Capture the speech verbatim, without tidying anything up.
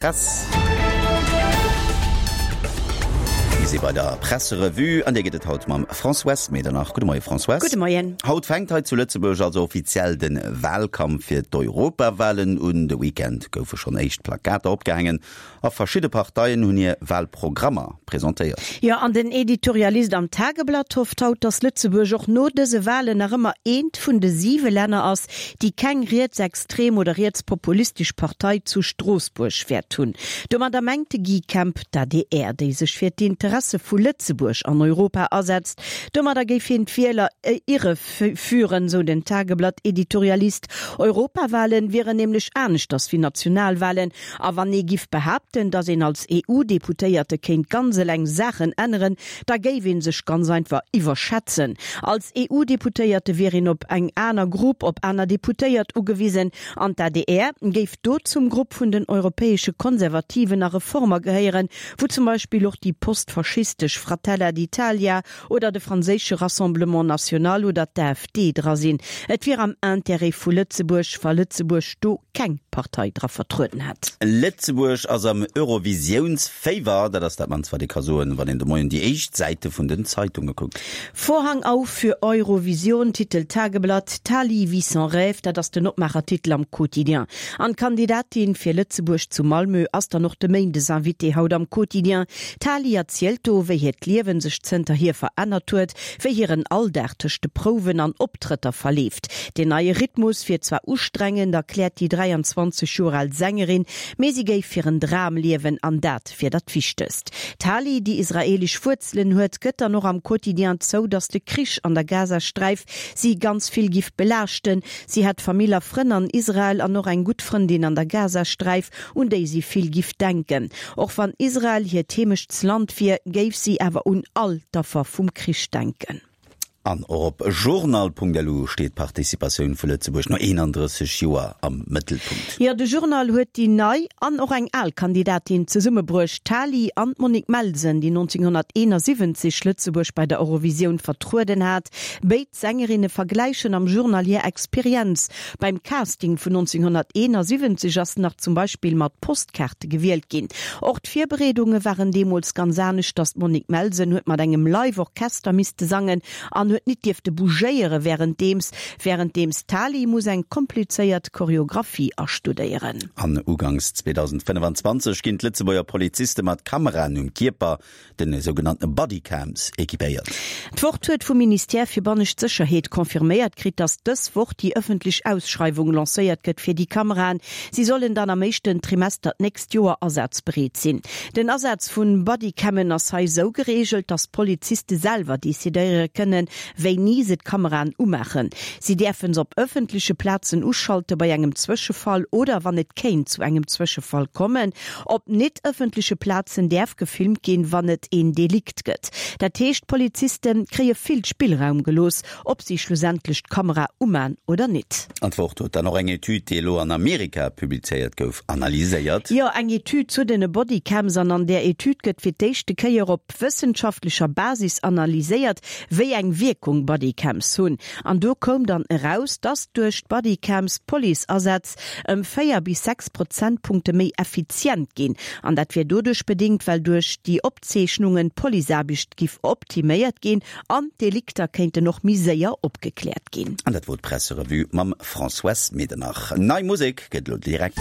Press. Mir si bei der Presserevue an där geet et haut mam Françoise Medernach. Gudde Moie Françoise. Gudde Moien. Haut fänkt hei zu Lëtzebuerg also offiziell de Wahlkampf fir d'Europawahlen un. De Weekend goufe schonn éischt Plakater opgehaangen a verschidde Parteien hunn hir Wahlprogrammer presentéiert. Jo, an den Editorialist am Tageblatt hofft haut, datt Lëtzebuerg och no dëse Wahlen nach ëmmer eent vun de siwe Länner ass, déi keng rietsextrem oder rietspopulistesch Partei zu Stroossbuerg wäert hunn. Domadder mengt de Guy Kemp d'ADR, déi sech fir d'Interesse vu Lëtzebuerg an Europa asetzt. Domadder géif hien d'Wieler irre führen, sou den Tageblatt-Editorialist. Europawahlen wieren nämlech aneschters wéi Nationalwahlen. A wann ee giff behaapten, datt een als EU-Deputéierte kéint ganz eleng Saachen änneren, da géif ee sech ganz einfach iwwerschätzen. Als EU-Deputéierte wier een op eng aner Grupp, op aner Deputéiert ugewisen an d'ADR géif do zum Grupp vun den europäesche Konservativen a Reformer gehéieren, wou zum Beispill och déi postfaschistesch Fratella d'Italia oder de franséische Rassemblement National oder d'AfD dra sinn. Et wier am Intérêt vu Lëtzebuerg, wa Lëtzebuerg do keng Partei dra vertrueden hätt. Lëtzebuerg ass am Eurovisiounsféiwer, dat ass dat mannst wat ee ka soen, wann een de Moien déi éischt Säite vun den Zeitunge kuckt. Vorhang auf für Eurovision, titelt d'Tageblatt. Tali vit son rêve, dat ass den Opmaachertitel am Quotidien. An d'Kandidatin fir Lëtzebuerg zu Malmö ass dann och de Méindesinvité haut am Quotidien. D'Tali erzielt do, wéi hiert Liewen sech zënterhier verännert huet, wéi hiren Alldag tëscht de Prouwen an Optrëtter verleeft. Deen neie Rhythmus wier zwar ustrengend, erkläert déi dräianzwanzeg Joer al Sängerin, mee si géif hiren Dram liewen an dat wier dat Wichtegst. D'Tali, déi israeelesch Wuerzelen huet, gëtt dann och am Quotidien zou, datt de Krich an der Gazasträif si ganz vill giff belaaschten. Si hätt Famill a Frënn an Israel an och eng gutt Frëndin an der Gazasträif, un déi si vill giff denken. Och wann Israel hiert Heemechtsland wier, géif si awer un all d'Affer vum Krich denken. An och op Journal.lu steet d'Participatioun vu Lëtzebuerg no eenandrësseg Joer am Mëttelpunkt. Jo, de Journal huet déi nei an och eng al Kandidatin zesummebruecht, d'Tali an d'Monique Melsen, déi nonzénghonnerteenasiwwenzeg Lëtzebuerg bei der Eurovisioun vertrueden hat. Béid Sängerinne vergläichen am Journal hir Experienz. Beim Casting vun nonzénghonnerteenasiwwenzeg ass nach zum Beispill mat Postkaarte gewielt ginn. Och d'Virbereedunge waren deemools ganz aneschters, d'Monique Melsen huet mat engem Live-Orchester misste sangen an huet nit dierfte bougéiere wärenddeems, wärenddeems d'Tali muss eng komplizéiert Choreographie astudéieren. An uganks zweedausendfënnefanzwanzeg ginn d'Lëtzebuerger Poliziste mat Kameraen um Kierper, de sougenannte Bodycams, equipéiert. D'Wort huet vum Ministère fir bannescht Sécherheet confirméiert kritt, datt dës Woch déi ëffentlech Ausschreiwung lancéiert gëtt fir déi Kameraen. Si sollen dann am éischten Trimester d'nächst Joer asazbereet sinn. Den Asaz vun Bodycammen ass hei esou gereegelt, datt d'Poliziste selwer decidéiere kënnen, wéini se d'Kameraen umaachen. Si däerfe se op ëffentleche Plazen uschalte bei engem Zwëschefall oder wann et kéint zu engem Zwëschefall kommen. Op net ëffentleche Plazen däerf gefilmt ginn, wann et een Delikt gëtt. Dat heescht, d'Poliziste kréie vill Spillraum gelooss, ob si schlussendlech d'Kamera umaan oder nit. An d'Wort huet dann och eng Etüd, déi elo an Amerika publizéiert gouf, analyséiert. Jo, eng Etüd zu den Bodycams. An an där Etüd gëtt fir d'éischte Kéier op wëssenschaftlecher Basis analyséiert, wéi eng Wierkung Bodycams hunn. An do koum dann eraus, dass duerch d'Bodycams d'Policeasätz ëm véier bis sechs Prozentpunkte méi effizient ginn. An dat wier doduerch bedéngt, well duerch déi Opzeechnungen d'Policeaarbecht giff optiméiert ginn an d'Delikter kéinten och méi séier opgekläert ginn. An dat wor d'Presserevue mam Françoise Medernach. Nei Musek gëtt elo direkt.